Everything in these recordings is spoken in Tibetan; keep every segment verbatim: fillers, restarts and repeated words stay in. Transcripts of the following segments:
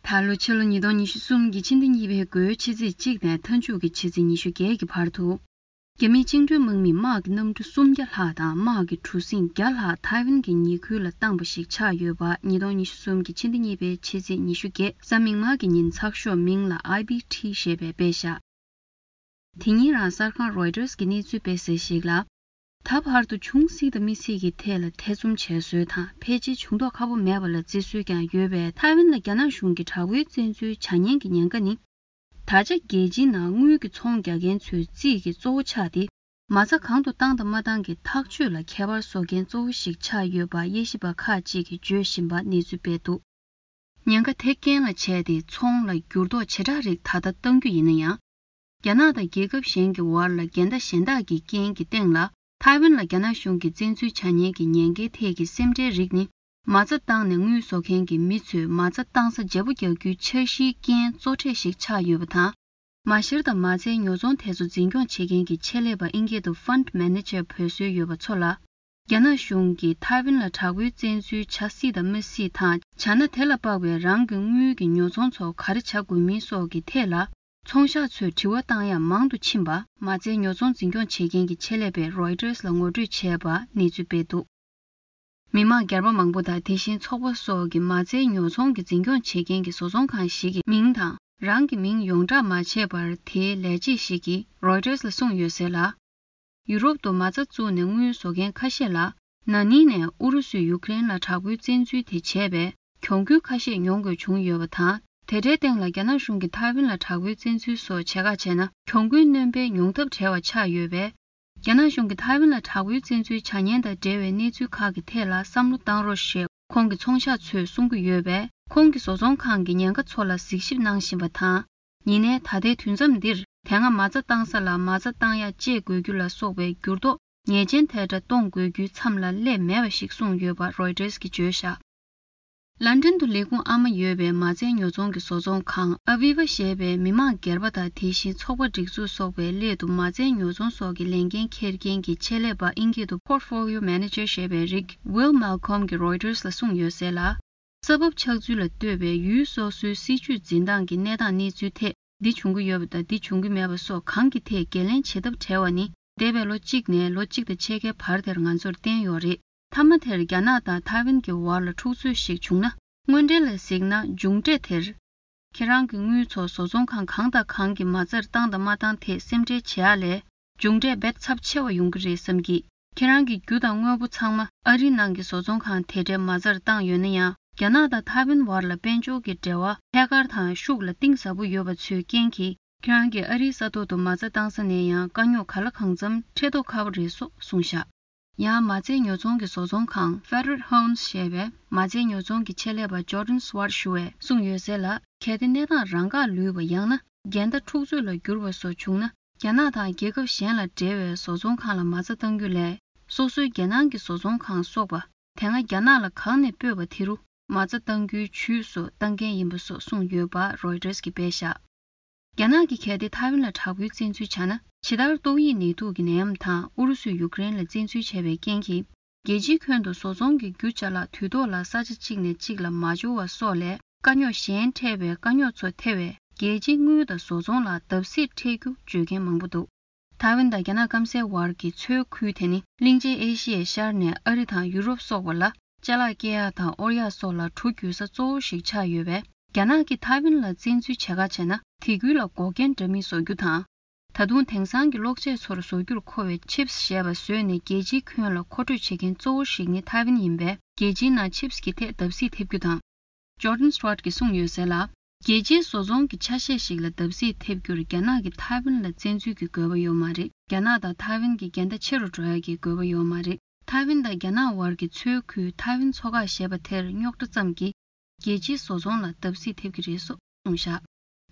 ད་ལོ་ཕྱི་ལོ་ཉིས་སྟོང་ཉི་ཤུ་གསུམ་གྱི་ཕྱི་ཟླ་གཉིས་པའི་འགོའི་ཕྱི་ཚེས་གཅིག་ནས་མཐའ་མཇུག་གི་ཕྱི་ཚེས་ཉི་ཤུ་བརྒྱད་ཀྱི་བར་དུ། རྒྱ་མིའི་བཅིངས་འགྲོལ་དམག་མིས་དམག་གི་གནམ་གྲུ་སུམ་བརྒྱ་ལྷག་དང་དམག་གི་གྲུ་གཟིངས་བརྒྱ་ལྷག་ཐའེ་ཝན་གྱི་ཉེ་ཁུལ་ལ་བཏང་པ་ཞིག་ཆགས་ཡོད་པ། ཉིས་སྟོང་ཉི་ཤུ་གསུམ་གྱི་ཕྱི་ཟླ་གཉིས་པའི་ཕྱི་ཚེས་ཉི་ཤུ་བརྒྱད་གཟའ་མིག་དམར་གྱི་ཉིན་ཚགས་ཤོག་མིང་ལ་ཨའི་བི་ཊི་ཞེས་པས་སྤེལ་བཞག་དེ་ཉིན་རང་གསར་ཁང་རོའི་ཊར་གྱིས་གནས་ཚུལ་སྤེལ་གསལ་ཞིག་ལ། ད་བར་དུ་བྱུང་སྲིད་དང་མི་སྲིད་ཀྱི་ཐད་ལ་ཐེ་ཚོམ་བྱས་སྲོལ་དང་ཕལ་ཆེར་བྱུང་མདོག་ཁ་པོ་མེད་པ་ལ་བརྩི་སྲོལ་ཀྱང་ཡོད་པས། ཐའེ་ཝན་ལ་རྒྱ་ནག་གཞུང་གིས་དྲག་པོའི་བཙན་འཛུལ་བྱ་ཉེན་གྱི་ཉེན་ཁ་ནི། ད་ཆ་རྒྱལ་སྤྱིའི་ནང་དངུལ་གྱི་ཚོང་རྒྱག་མཁན་ཚོའི་རྩིས་ཀྱི་གཙོ་བོ་ཆགས་ཏེ། མ་རྩ་གང་དུ་བཏང་དང་མ་བཏང་གི་ཐག་གཅོད་ལ་ཁྱད་པར་བཟོ་མཁན་གཙོ་བོ་ཞིག་ཆགས་ཡོད་པ་དབྱེ་ཞིབ་པ་ཁག་ཅིག་གིས་བརྗོད་བཞིན་པ་གནས་ཚུལ་སྤེལ་འདུག་ཉེན་ཁ་དེ་རྐྱེན་ལ་བྱས་ཏེ་ཚོང་ལ་འགྱུར་ལྡོག་ཇེ་དྲག་རིགས་ད་ལྟ་གཏང་རྒྱུ་ཡིན་ན་ཡང་། རྒྱ་ནག་དང་རྒྱལ་ཁབ་གཞན་གྱི་བར་ལ་འགལ་ཟླ་གཞན་དག་གི་རྐྱེན་གྱི་སྟེང་ལ། ཐའེ་ཝན་ལ་རྒྱ་ནག་གཞུང་གིས་བཙན་འཛུལ་བྱ་ཉེན་གྱི་ཉེན་ཁའི་ཐད་ཀྱི་སེམས་ཁྲལ་རིགས་ནི། མ་རྩ་བཏང་ནས་དངུལ་བཟོ་མཁན་གྱི་མི་ཚོས་མ་རྩ་བཏང་ས་བརྗེ་པོ་རྒྱག་རྒྱུའི་འཆར་གཞིའི་རྐྱེན་གཙོ་གྲས་ཤིག་ཆགས་ཡོད་པ་དང་། མ་ཤེར་དང་མ་རྩའི་ཉོ་ཚོང་དེ་ཚོ་འཛིན་སྐྱོང་བྱེད་མཁན་གྱི་ཆེད་ལས་པ་ཨིན་སྐད་དུ་ཕན་ཌི་མེ་ནེ་ཇར་འབོད་སྲོལ་ཡོད་པ་ཚོ་ལ། རྒྱ་ནག་གཞུང་གིས་ཐའེ་ཝན་ལ་དྲག་པོའི་བཙན་འཛུལ་བྱ་སྲིད་དང་མི་སྲིད་དང་། བྱ་ན་དེ་ལ་དཔག་པའི་རང་གི་དངུལ་གྱི་ཉོ་ཚོང་ཚོ་ག་རེ་བྱ་དགོས་མིན་སོགས་ཀྱི་ཐད་ལ། ཚོང་ཤག་ཚོས་དྲི་བ་བཏང་ཡག་མང་དུ་ཕྱིན་པ། མ་རྩའི་ཉོ་ཚོང་འཛིན་སྐྱོང་བྱེད་མཁན་གྱི་ཆེད་ལས་པས་རོའི་ཊར་ལ་ངོ་སྤྲོད་བྱས་པ་གནས་ཚུལ་སྤེལ་འདུག་མི་མང་སྒེར་པ་མང་པོ་དང་དེ་བཞིན་ཚོགས་པ་སོགས་ཀྱིས་མ་རྩའི་ཉོ་ཚོང་གི་འཛིན་སྐྱོང་བྱེད་མཁན་གྱི་བཟོ་ཚོང་ཁང་ཞིག་གི་མིང་དང་། རང་གི་མིང་ཡོངས་བསྒྲགས་མ་བྱས་པར། དེའི་ལས་བྱེད་ཞིག་གིས་རོའི་ཊར་ལ་གསུངས་ཡོད་ཟེར་ལ། ཡུ་རོབ་ཏུ་མ་རྩ་བཙུགས་ནས་དངུལ་བཟོ་མཁན་ཁ་ཤས་ལ། ན་ནིང་ནས་ཨུ་རུ་སུས་ཡུ་ཀེ་རེན་ལ་དྲག་པོའི་བཙན་འཛུལ་དེ་བྱས་པས། གྱོང་གུན་ཁ་ཤས་མྱོང་དགོས་བྱུང་ཡོད་པ་དང་། དེ་འདྲའི་སྟེང་ལ་རྒྱ་ནག་གཞུང་གིས་ཐའེ་ཝན་ལ་དྲག་པོའི་བཙན་འཛུལ་སོགས་བྱེད་ཁ་བྱས་ན། གྱོང་གུན་སྣོན་པའི་ཡོང་ཐབས་བྲལ་བ་ཆགས་ཡོད་པས། རྒྱ་ནག་གཞུང་གིས་ཐའེ་ཝན་ལ་དྲག་པོའི་བཙན་འཛུལ་བྱ་ཉེན་དང་འབྲེལ་བའི་གནས་ཚུལ་ཁག་གི་ཐད་ལ་བསམ་བློ་བཏང་རོགས་ཞེས་ཁོང་གི་ཚོང་ཤག་ཚོས་གསུང་གི་ཡོད་པས། ཁོང་གི་བཟོ་ཚོང་ཁང་གི་ཉེན་ཁ་ཚོ་ལ་གཟིགས་ཞིབ་གནང་བཞིན་པ་དང་། ཡིན་ནའི་ད་ལྟའི་དུས་མཚམས་འདིར། དེ་སྔ་མ་རྩ་བཏང་ས་ལ་མ་རྩ་བཏང་ཡག་བཅད་དགོས་རྒྱུ་ལ་སོགས་པའི་འགྱུར་ལྡོག་ཉེས་ཅན་ཐལ་དྲགས་གཏོང་དགོས་རྒྱུའི་མཚམས་ལ་སླེབས་མེད་པ་ཞིག་གསུངས་ཡོད་པ་རོའི་ཊར་གྱིས་བརྗོད་བཞག་ལན་ཀྲན་དུ་ལས་ཁུངས་ཨ་མ་ཡོད་པའི་མ་རྩའི་ཉོ་ཚོང་གི་བཟོ་ཚོང་ཁང་ཨ་བི་ཝ་ཞེས་པའི་མི་མང་སྒེར་པ་དང་། དེ་བཞིན་ཚོགས་པ་སྒྲིག་འཛུགས་སོགས་པའི་སླད་དུ་མ་རྩའི་ཉོ་ཚོང་སོགས་ཀྱི་ལས་འགན་འཁྱེར་མཁན་གྱི་ཆེད་ལས་པ་ཨིན་སྐད་དུ་Portfolio Manager ཞེས་པའི་རིགས་Will Malcolm གྱིས་རོའི་ཊར་ལ་གསུངས་ཡོད་ཟེར་ལ། ས་བབ་ཆགས་ཚུལ་ལ་ལྟོས་པའི་ཡུལ་སོ་སོའི་སྲིད་ཇུས་འཛིན་སྟངས་ཀྱི་གནས་སྟངས་གནས་ཚུལ་ཐད། འདི་བྱུང་གི་ཡོད་པ་དང་འདི་བྱུང་གི་མེད་པ་སོགས་གང་གི་ཐད་འགན་ལེན་བྱེད་ཐབས་བྲལ་བ་ནི། འདས་པའི་ལོ་གཅིག་ནས་ལོ་གཅིག་དང་ཕྱེད་ཀའི་བར་དེར་ང་ཚོར་བསྟན་ཡོད་རེད། མཐའ་མ་དེར་རྒྱ་ནག་དང་ཐའེ་ཝན་གྱི་བར་ལ་འཁྲུག་རྩོད་ཞིག་བྱུང་ན། དངོས་འབྲེལ་ལ་གཟིགས་ན་མཇུག་འབྲས་དེར། ཁྱེད་རང་གི་དངུལ་ཚོ་བཟོ་ཚོང་ཁང་གང་དང་གང་གི་མ་རྩར་བཏང་དང་མ་བཏང་ཐད་སེམས་ཁྲལ་བྱེད་ཡ་ལས། མཇུག་འབྲས་རྦད་ཚབས་ཆེ་བ་ཡོང་གི་རེད་བསམ་གི། ཁྱེད་རང་གི་རྒྱུ་དང་དངོས་པོ་ཚང་མ་ཨ་རིའི་ནང་གི་བཟོ་ཚོང་ཁང་དེ་འདྲའི་མ་རྩར་བཏང་ཡོད་ན་ཡང་། རྒྱ་ནག་དང་ཐའེ་ཝན་བར་ལ་དཔལ་འབྱོར་གྱི་འབྲེལ་བ་ཐད་ཀར་དང་ཤུགས་ལ་གཏིང་ཟབ་པོ་ཡོད་པ་ཚོའི་རྐྱེན་གྱིས། ཁྱེད་རང་གིས་ཨ་རིའི་ས་ཐོག་ཏུ་མ་རྩ་བཏང་ས་ནས་ཡང་དཀའ་རྙོག་ག་ལ་གང་འཚམ་འཕྲད་མདོག་ཁ་པོ་རེད་སོགས་གསུངས་བཞག་ཡང་མ་རྩའི་ཉོ་ཚོང་གི་བཟོ་ཚོང་ཁང་Federated Homes ཞེས་པའི་མ་རྩའི་ཉོ་ཚོང་གི་ཆེད་ལས་པ་Jordan Schwartz ཞུ་བས་གསུངས་ཡོད་ཟེར་ལ། གལ་ཏེ་གནས་སྟངས་རང་འགག་ལུས་པ་ཡང་ན་འགལ་ཟླ་འཁྲུག་རྩོད་ལ་འགྱུར་བ་སོགས་བྱུང་ན། རྒྱ་ནག་དང་རྒྱལ་ཁབ་གཞན་ལ་འབྲེལ་བའི་བཟོ་ཚོང་ཁང་ལ་མ་རྩ་གཏང་རྒྱུ་ལས། སོ་སོའི་རྒྱལ་ནང་གི་བཟོ་ཚོང་ཁང་སོགས་པ་དེ་སྔ་རྒྱ་ནག་ལ་གང་ནས་སྤོས་པ་དེ་རུ་མ་རྩ་གཏང་རྒྱུའི་ཇུས་སུ་གཏང་མཁན་ཡིན་པ་སོགས་གསུངས་ཡོད་པ་རོའི་ཊར་གྱིས་སྤེལ་བཞག་རྒྱ་ནག་གིས་གལ་ཏེ་ཐའེ་ཝན་ལ་དྲག་པོའི་བཙན་འཛུལ་བྱས་ན། ཇི་ལྟར་ཏོག་དབྱིབས་ནད་དུག་གི་ནད་ཡམས་དང་ཨུ་རུ་སུས་ཡུ་ཀེ་རེན་ལ་བཙན་འཛུལ་བྱས་པའི་རྐྱེན་གྱིས། རྒྱལ་སྤྱིའི་ཁྱོན་དུ་བཟོ་ཚོང་གི་རྒྱུ་ཅ་ལག་དུས་ཐོག་ལ་ས་ཆ་གཅིག་ནས་གཅིག་ལ་མ་འབྱོར་བ་སོགས་ལས། དཀའ་རྙོག་གཞན་འཕྲད་པའི་དཀའ་རྙོག་ཚོ་ཐེ་བས། རྒྱལ་སྤྱིའི་དངུལ་དང་བཟོ་ཚོང་ལ་བརྡབ་གསིག་འཕྲད་རྒྱུ་བརྗོད་མཁན་མང་པོ་འདུག་ཐའེ་ཝན་དང་རྒྱ་ནག་སྐམ་སའི་བར་གྱི་མཚོའི་ཁུལ་དེ་ནི་གླིང་ཆེན་ཨེ་ཤི་ཡའི་ཤར་ནས་ཨ་རི་དང་ཡུ་རོབ་སོགས་པ་ལ་ཅ་ལག་སྐྱེལ་ཡག་དང་དབོར་ཡག་སོགས་ལ་གྲུ་རྒྱུག་ས་གཙོ་བོ་ཞིག་ཆགས་ཡོད་པས། རྒྱ་ནག་གིས་ཐའེ་ཝན་ལ་བཙན་འཛུལ་བྱེད་ཁ་བྱས་ན། དེ་ཁུལ་ལ་འགོག་རྐྱེན་འདྲ་མིན་བཟོ་རྒྱུ་དང་། ད་དུང་དེང་སང་གི་གློག་ཆས་ཚོར་བཟོ་རྒྱུར་མཁོ་བའི་ཆིབས་ཞེས་པ་བཟོས་ནས་རྒྱལ་སྤྱིའི་ཁྱོན་ལ་མཁོ་སྤྲོད་བྱེད་མཁན་གཙོ་བོ་ཞིག་ནི་ཐའེ་ཝན་ཡིན་པས། རྒྱལ་སྤྱིའི་ནང་ཆིབས་ཀྱི་ཐད་བརྡབ་གསིག་ཐེབས་རྒྱུ་དང་། Jordan Schwartz གྱིས་གསུངས་ཡོད་ཟེར་ལ། རྒྱལ་སྤྱིའི་བཟོ་ཚོང་གི་ཆ་ཤས་ཤིག་ལ་བརྡབ་གསིག་ཐེབས་རྒྱུར་རྒྱ་ནག་གིས་ཐའེ་ཝན་ལ་བཙན་འཛུལ་གྱི་དགོས་པ་ཡོད་མ་རེད། རྒྱ་ནག་དང་ཐའེ་ཝན་གྱི་འགལ་ཟླ་ཆེ་རུ་འགྲོ་ཡག་གི་དགོས་པ་ཡོད་མ་རེད། ཐའེ་ཝན་དང་རྒྱ་ནག་བར་གྱི་མཚོའི་ཁུལ་ཐའེ་ཝན་མཚོ་འགག་ཞེས་པ་དེར་རྙོག་དྲ་ཙམ་གྱིས། རྒྱལ་སྤྱིའི་བཟོ་ཚོང་ལ་བརྡབ་གསིག་ཐེབས་ཀྱི་རེད་སོགས་གསུངས་བཞག་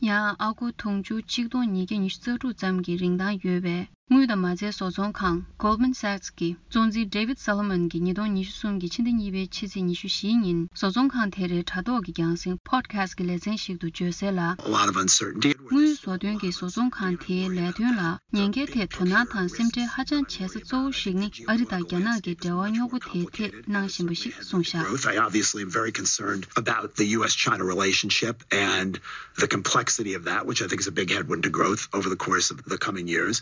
ཡང་ཨ་སྒོར་དུང་ཕྱུར་ཆིག་སྟོང་ཉིས་བརྒྱ་ཉི་ཤུ་རྩ་དྲུག་ཙམ་གྱི་རིན་ཐང་ཡོད་པའི་ དངུལ་དང་མ་རྩའི་བཟོ་ཚོང་ཁང་Goldman Sachs་གི་གཙོ་འཛིན་David Solomon་གྱིས་ཉིས་སྟོང་ཉི་ཤུ་གསུམ་གྱི་ཕྱི་ཟླ་གཉིས་པའི་ཕྱི་ཚེས་ཉི་ཤུ་བཞིའི་ཉིན་བཟོ་ཚོང་ཁང་དེ་རའི་དྲ་ཐོག་གི་རྒྱང་སྲིང་podcast་གི་ལེ་ཚན་ཞིག་ཏུ་བརྗོད་གསལ་ལ། A lot of uncertainty. དངུལ་བཟོ་དོན་གྱི་བཟོ་ཚོང་ཁང་དེའི་ལས་དོན་ལ་ཉེན་ཁའི་ཐད་དོ་སྣང་དང་སེམས་ཁྲལ་ཧ་ཅང་བྱེད་ས་གཙོ་བོ་ཞིག་ནི་ཨ་རི་དང་རྒྱ་ནག་གི་འབྲེལ་བ་རྙོག་པོ་དེའི་ཐད་གནང་བཞིན་པ་ཞིག་གསུངས་བཞག growth. I obviously am very concerned about the U S China relationship and the complexity of that, which I think is a big headwind to growth over the course of the coming years.